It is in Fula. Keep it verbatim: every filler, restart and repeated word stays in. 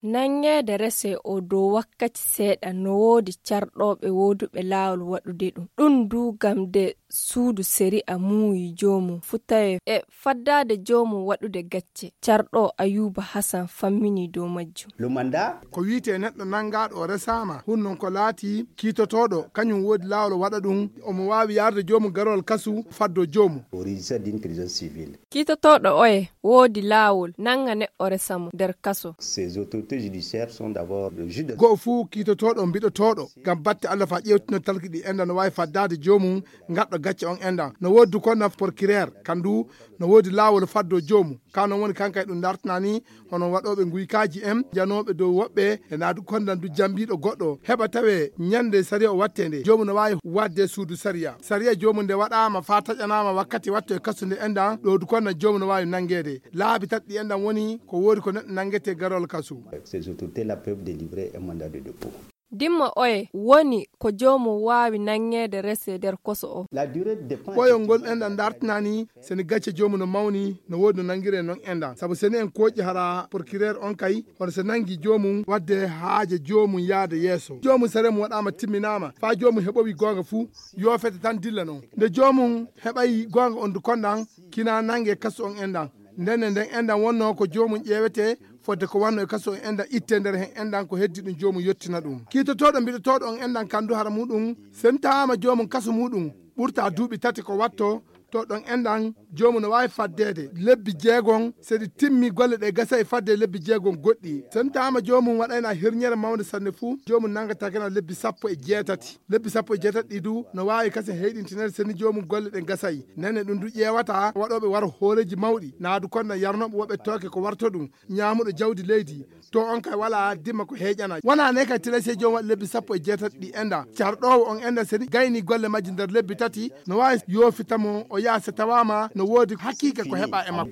Nanngeede rese o dow wakkati seeɗa no woodi carɗooɓe wooduɓe laawol waɗude ɗum. Ɗum du ngam nde suudu sariya muuyi joomum fu tawee e faddaade joomum waɗude gacce. Carɗo Ayuba Hasan fammini dow majjum. Ko wiyetee neɗɗo nanngaaɗo o resaama, hun non ko laati kiitotooɗo, kañum woodi laawol waɗa ɗum, omo waawi yarde joomum garol kasu faddo joomum. Kiitotooɗo oye woodi laawol nannga neɗɗo resa mo nder kaso. Go'o fuu kiitotooɗo mbiɗotooɗo ngam batte Allah faa ƴeewtino talki ɗi enda no waawi faddaade joomum gaɗɗo gacce on enda. No woodi du konna porkireer, kandu no woodi laawol faddo joomum. Ka non woni kanka e ɗum dartana ni hono waɗooɓe nguykaaji en, janooɓe dow woɓɓe, e naa du kondan du jambiiɗo goɗɗo. Heɓa tawee ñande sariya o wattee nde, joomum no waawi waɗde suudu sariya. Sariya joomum nde waɗaama faa taƴanaama wakkati watto e kasu nde endan, ɗo du kondan joomum no waawi nanngeede. Laabi tati ɗi endan woni ko woodi ko neɗɗo nanngetee garol kasu. Dimma oye woni ko joomum waawi nanngeede rese nder koso o. Ɓoyol ngol enɗan dartinani seni gacce joomum no mawni, no woodi no nanngiree non enɗan. Sabu seni en kooƴi hara porkireer on kay, hono se nanngi joomum waɗde haaje joomum yaade yeeso. Joomum sariya mum waɗaama timminaama, faa joomum heɓowi goonga fuu, yoofete tan dilla non. Nde joomum heɓay goonga on du konɗan, kina nanngee kasu on enɗan. Ndenne nden enɗan wonnoo ko joomum ƴeewetee fodde ko wannoo e kasu on enɗan ittee nder hen enɗan ko heddi ɗum joomum yottina ɗum. Kiitotooɗo mbiɗotooɗo on enɗan kandu hara muuɗum, seni tawaama joomum kasu muuɗum ɓurtaa duuɓi tati ko wattoo, to ɗon enɗan joomum no waawi faddeede lebbi jeegon, seni timmi golle ɗe gasay fadde lebbi jeegon goɗɗi. Seni tawaama joomum waɗayna hirñere mawnde sanne fuu, joomum nanngata kena lebbi sappo e jeetati. Lebbi sappo e jeetati ɗi du no waawi kasen heyɗintineede seni joomum golle ɗen gasay. Ndenne ɗum du ƴeewata waɗooɓe waro hooreeji mawɗi, naa du konɗan yarnooɓe woɓɓe tooke ko warto ɗum, ñaamuɗo jawdi leydi. To on kay walaa dimma ko heeƴana. Wonaa ne kay tilay sey joomum waɗi lebbi sappo e jeetati ɗi enɗan. Carɗoowo on enɗan seni gayni golle majji nder lebbi tati, no waawi yoofita mo o yaha se tawaama no woodi hakiika ko heɓaa e makko.